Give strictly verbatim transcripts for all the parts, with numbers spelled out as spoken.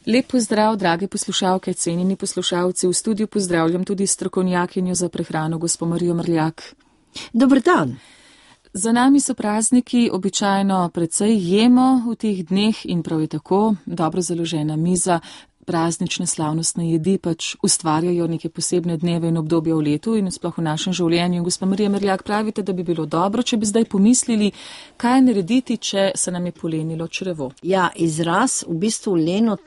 Lep pozdrav, drage poslušalke, cenjeni poslušalci. V studiu pozdravljam tudi strokovnjakinjo za prehrano, gospo Marijo Mrljak. Dober dan. Za nami so prazniki, običajno precej jemo v teh dneh in prav je tako, dobro založena miza, praznične slavnostne jedi pač ustvarjajo neke posebne dneve in obdobja v letu in sploh v našem življenju. Gospa Marija Mrljak, pravite, da bi bilo dobro, če bi zdaj pomislili, kaj narediti, če se nam je polenilo črevo. Ja, izraz v bistvu leno,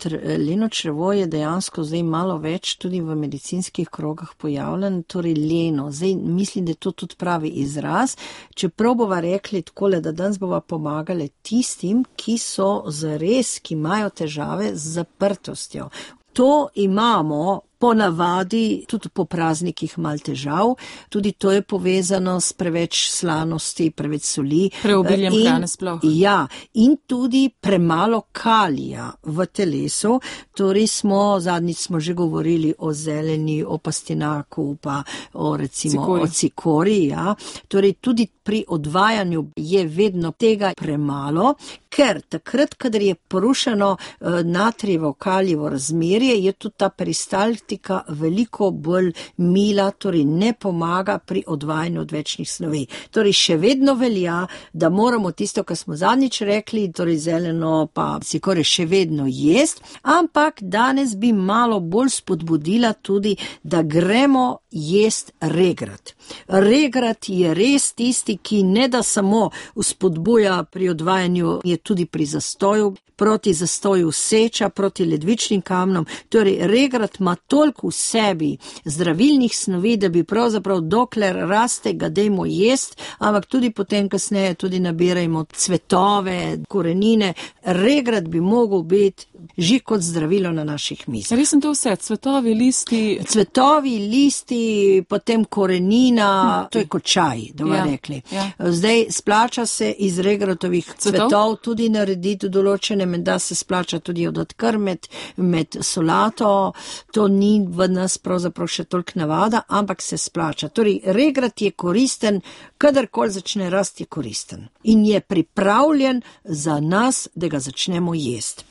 leno črevo je dejansko zdaj malo več tudi v medicinskih krogah pojavljen, torej leno. Zdaj mislim, da je to tudi pravi izraz. Čeprav bova rekli takole, da danes bova pomagali tistim, ki so zares, ki imajo težave z zaprtostjo. To imamo ponavadi tudi po praznikih malo težav, tudi to je povezano s preveč slanosti, preveč soli. Preobiljem hrane sploh. Ja, in tudi premalo kalija v telesu, torej smo, zadnjič smo že govorili o zeleni, o pastinaku, pa o recimo cikori. o cikori, ja. Torej tudi pri odvajanju je vedno tega premalo, ker takrat, kadar je porušeno uh, natrijevo kalijevo razmerje, je tudi ta peristaltika veliko bolj mila, torej ne pomaga pri odvajanju odvečnih snovi. Torej še vedno velja, da moramo tisto, kar smo zadnjič rekli, torej zeleno pa cikore še vedno jest, ampak danes bi malo bolj spodbudila tudi, da gremo jest regrat. Regrat je res tisti, ki ne da samo spodbuja pri odvajanju, je tudi pri zastoju, proti zastoju seča, proti ledvičnim kamnom. Torej, regrat ima toliko v sebi zdravilnih snovi, da bi pravzaprav dokler raste, ga dejmo jest, ampak tudi potem kasneje tudi nabirajmo cvetove, korenine. Regrat bi mogel biti že kot zdravilo na naših mizah. Res sem to vse, cvetovi, listi. Cvetovi, listi, potem korenina, hm. to je kot čaj, da bomo ja, rekli. Ja. Zdaj splača se iz regratovih cvetov, cvetov tudi narediti določene, menda se splača tudi odkrm med, med solato, to ni v nas pravzaprav še toliko navada, ampak se splača. Torej, regrat je koristen, kadarkoli začne rasti, je koristen in je pripravljen za nas, da ga začnemo jesti.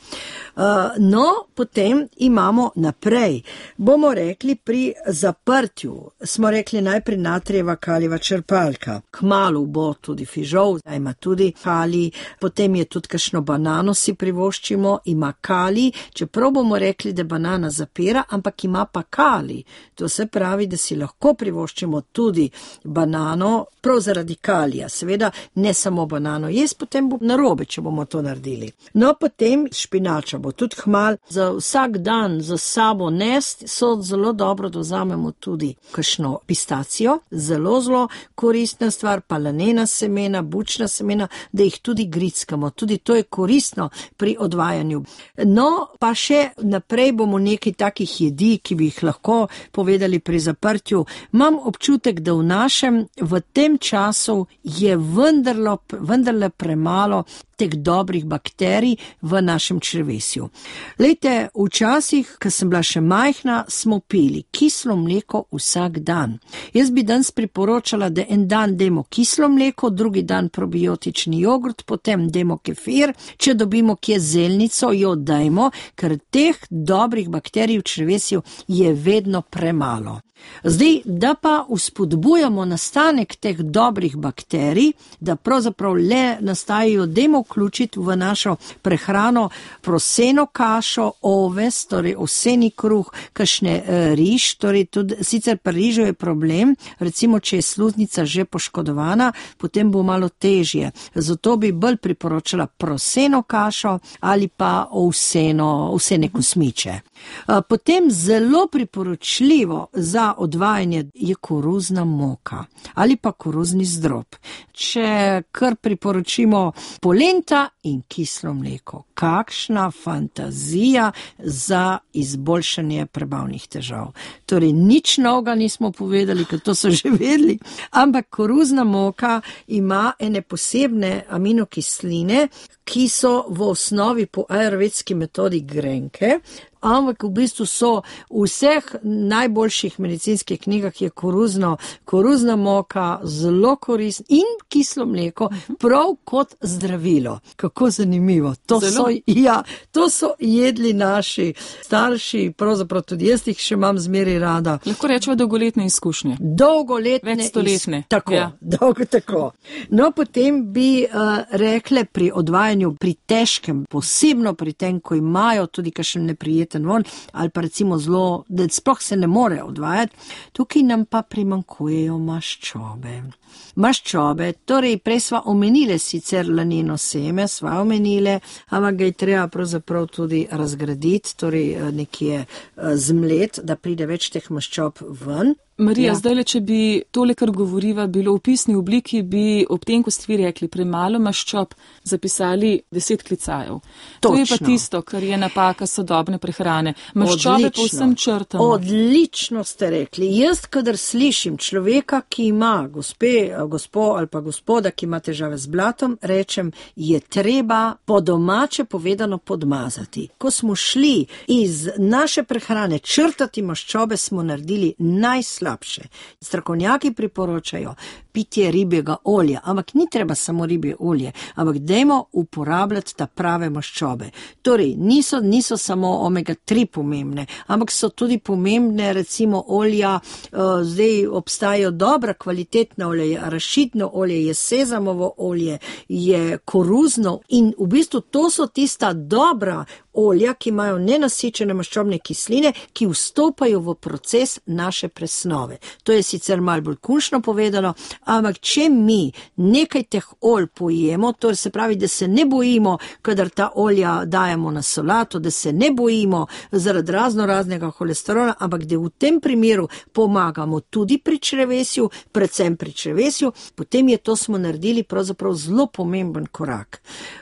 Uh, no, potem imamo naprej. Bomo rekli pri zaprtju, smo rekli najprej natrijeva kalijeva črpalka. Kmalu bo tudi fižol, ima tudi kalij, potem je tudi kakšno banano si privoščimo, ima kalij, čeprav bomo rekli, da banana zapira, ampak ima pa kalij. To se pravi, da si lahko privoščimo tudi banano, prav zaradi kalija. Seveda ne samo banano jesti, potem bo narobe, če bomo to naredili. No, potem špinača bo tudi hmal. Za vsak dan za sabo nest so zelo dobro, da vzamemo tudi kakšno pistacijo, zelo, zelo koristna stvar, palanena semena, bučna semena, da jih tudi grickamo. Tudi to je koristno pri odvajanju. No, pa še naprej bomo nekaj takih jedi, ki bi jih lahko povedali pri zaprtju. Imam občutek, da v našem, v tem času je vendarlo, vendarle premalo teh dobrih bakterij v našem črevesju. Lejte, včasih, ko sem bila še majhna, smo pili kislo mleko vsak dan. Jaz bi danes priporočala, da en dan demo kislo mleko, drugi dan probiotični jogurt, potem demo kefir, če dobimo kje zelnico, jo dajmo, ker teh dobrih bakterij v črevesju je vedno premalo. Zdaj, da pa vzpodbujamo nastanek teh dobrih bakterij, da pravzaprav le nastajajo, dajmo vključiti v našo prehrano proseno kašo, oves, torej ovseni kruh, kakšne e, riž, torej tudi, sicer pri rižu je problem, recimo, če je sluznica že poškodovana, potem bo malo težje. Zato bi bolj priporočala proseno kašo ali pa ovseno, ovsene kosmiče. E, potem zelo priporočljivo za odvajanje je koruzna moka ali pa koruzni zdrob. Če kar priporočimo polenta in kislo mleko, kakšna fantazija za izboljšanje prebavnih težav. Torej, nič novega nismo povedali, ker to so že vedeli, ampak koruzna moka ima ene posebne aminokisline, ki so v osnovi po ajurvedski metodi grenke, ampak v bistvu so v vseh najboljših medicinskih knjigah je koruzno, koruzna moka zelo koristna in kislo mleko prav kot zdravilo. Kako zanimivo. To zelo so so, ja, to so jedli naši starši, pravzaprav tudi jaz jih še imam zmeri rada. Lahko rečemo dolgoletne izkušnje. Dolgoletne. Več stoletne. Iz... Tako, ja. dolgo tako. No, potem bi uh, rekle pri odvajanju, pri težkem, posebno pri tem, ko imajo tudi kakšen neprijeten von, ali pa recimo zelo, da sploh se ne more odvajati, tukaj nam pa primankujejo maščobe. Maščobe, torej prej sva omenile sicer laneno seme, sva omenile, ampak ga je treba pravzaprav tudi razgraditi, torej nekje zmlet, da pride več teh maščob ven. Marija, ja. zdaj, če bi tole, kar govoriva, bilo v pisni obliki, bi ob tem, ko ste vi rekli, premalo maščob, zapisali deset klicajev. Točno. To je pa tisto, kar je napaka sodobne prehrane. Maščobe pa vsem črtamo. Odlično ste rekli. Jaz, kadar slišim človeka, ki ima, gospe, gospo ali pa gospoda, ki ima težave z blatom, rečem, je treba po domače povedano podmazati. Ko smo šli iz naše prehrane črtati maščobe, smo naredili najslabše. Strokovnjaki priporočajo pitje ribjega olja, ampak ni treba samo ribje olje, ampak dajmo uporabljati ta prave maščobe. Torej, niso, niso samo omega tri pomembne, ampak so tudi pomembne recimo olja, uh, zdaj obstajajo dobra kvalitetna olja, je arašidno olje, je sezamovo olje, je koruzno in v bistvu to so tista dobra olja, ki imajo nenasičene maščobne kisline, ki vstopajo v proces naše presnove. To je sicer malo bolj kunšno povedano, ampak če mi nekaj teh olj pojemo, to se pravi, da se ne bojimo, kadar ta olja dajemo na solato, da se ne bojimo zaradi razno raznega holesterola, ampak da v tem primeru pomagamo tudi pri črevesju, predvsem pri črevesju, potem je to smo naredili pravzaprav zelo pomemben korak.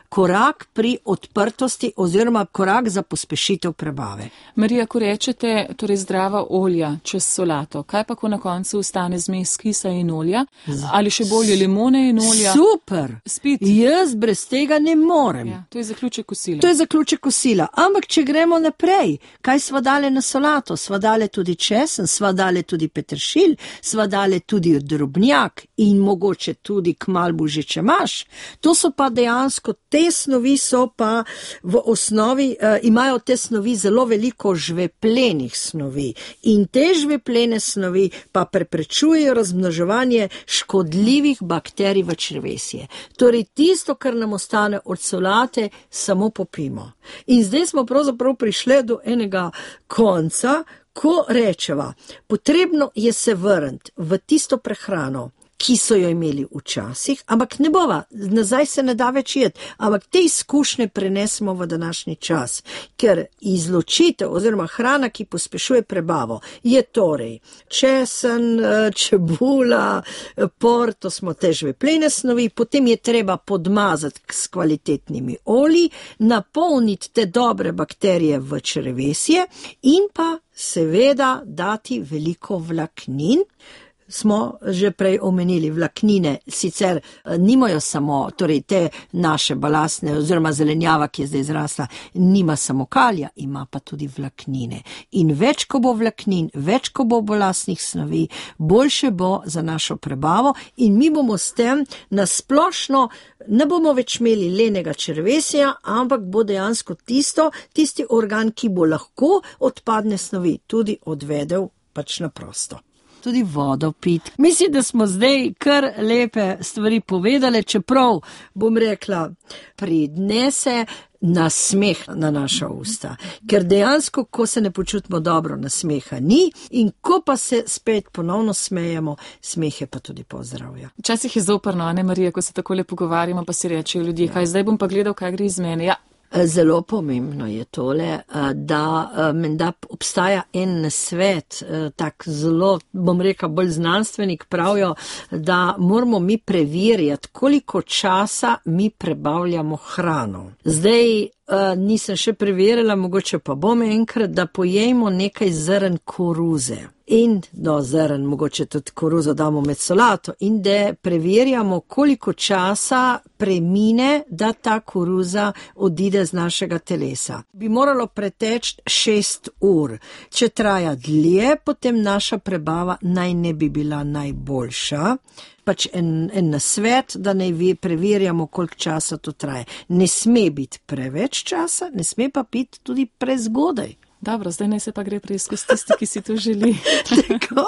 Korak pri odprtosti oziroma korak za pospešitev prebave. Marija, ko rečete, torej zdrava olja čez solato, kaj pa, ko na koncu ostane zmes kisa in olja? Ali še bolje limone in olja? Super! Spit. Jaz brez tega ne morem. Ja, to je zaključek kosila. To je zaključek kosila. Ampak, če gremo naprej, kaj sva dale na solato? Sva dale tudi česen, sva dale tudi peteršilj, sva dale tudi drobnjak in mogoče tudi kmalbu že čemaš. To so pa dejansko te snovi so pa v osnovi, uh, imajo te snovi zelo veliko žveplenih snovi in te žveplene snovi pa preprečujejo razmnoževanje škodljivih bakterij v črevesje. Torej tisto, kar nam ostane od solate, samo popimo. In zdaj smo pravzaprav prišli do enega konca, ko rečeva, potrebno je se vrniti v tisto prehrano, ki so jo imeli včasih, ampak ne bova, nazaj se ne da več jeti, ampak te izkušnje prenesemo v današnji čas, ker izločitev oziroma hrana, ki pospešuje prebavo, je torej česen, čebula, por, to smo te žveplene snovi, potem je treba podmazati s kvalitetnimi olji, napolniti te dobre bakterije v črevesje in pa seveda dati veliko vlaknin. Smo že prej omenili, vlaknine sicer nimajo samo, torej te naše balastne oziroma zelenjava, ki je zdaj zrasla, nima samo kalija, ima pa tudi vlaknine. In več, ko bo vlaknin, več, ko bo balastnih snovi, boljše bo za našo prebavo in mi bomo s tem nasplošno, ne bomo več imeli lenega črevesja, ampak bo dejansko tisto, tisti organ, ki bo lahko odpadne snovi tudi odvedel pač na prosto. Tudi vodo pit. Mislim, da smo zdaj kar lepe stvari povedali, čeprav bom rekla, pridnese nasmeh na naša usta. Ker dejansko, ko se ne počutimo dobro, nasmeha ni in ko pa se spet ponovno smejemo, smeh je pa tudi pozdravlja. Včasih je zoprno, ne Marija, ko se takole pogovarjamo, pa si rečejo ljudje, kaj zdaj bom pa gledal, kaj gre iz mene. Ja. Zelo pomembno je tole, da menda obstaja en nasvet, tak zelo, bom rekel, bolj znanstvenik pravijo, da moramo mi preverjati, koliko časa mi prebavljamo hrano. Zdaj, Uh, nisem še preverila, mogoče pa bom enkrat, da pojejmo nekaj zrn koruze. In do zrn, mogoče tudi koruzo damo med solato in da preverjamo, koliko časa premine, da ta koruza odide z našega telesa. Bi moralo preteči šest ur. Če traja dlje, potem naša prebava naj ne bi bila najboljša. pač en, en nasvet, da naj preverjamo, koliko časa to traje. Ne sme biti preveč časa, ne sme pa biti tudi prezgodaj. Dobro, zdaj naj se pa gre preizkus tisti, ki si to želi. Tako,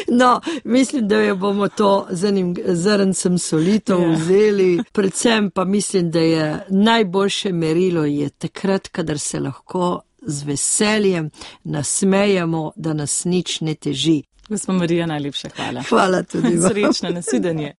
no, mislim, da jo bomo to z enim zrncem solito yeah. vzeli. Predvsem pa mislim, da je najboljše merilo je takrat, kadar se lahko z veseljem nasmejemo, da nas nič ne teži. Gospa Marija, najlepša hvala. Hvala tudi vam. Srečno, nasvidenje.